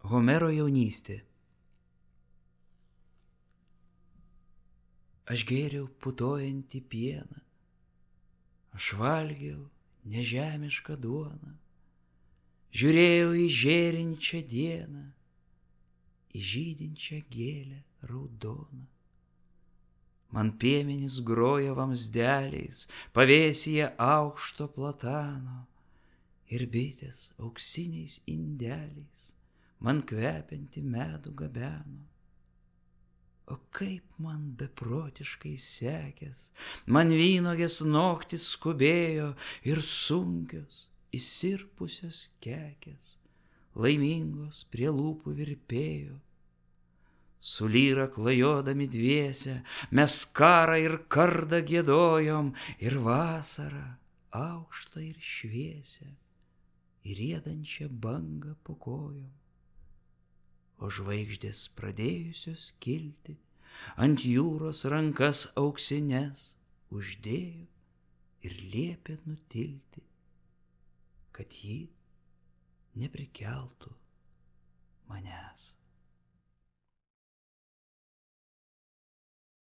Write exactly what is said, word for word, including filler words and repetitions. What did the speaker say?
Homero jaunystė. Aš gėriau putojantį pieną, aš valgiau nežemišką duoną, žiūrėjau į žėrinčią dieną, į žydinčią gėlę raudoną. Man piemenys grojo vamzdeliais, pavėsyje aukšto platano, ir bitės auksiniais indeliais man kvepiantį medų gabeno. O kaip man beprotiškai sekės, man vynuogės noktis skubėjo ir sunkios, įsirpusios kekės, laimingos prie lūpų virpėjo. Su lyra klajodami dviese mes karą ir kardą giedojom ir vasarą aukštą ir šviesią, ir riedančią bangą po kojom. O žvaigždės pradėjusios kilti ant jūros rankas auksines uždėjo ir liepė nutilti, kad ji neprikeltų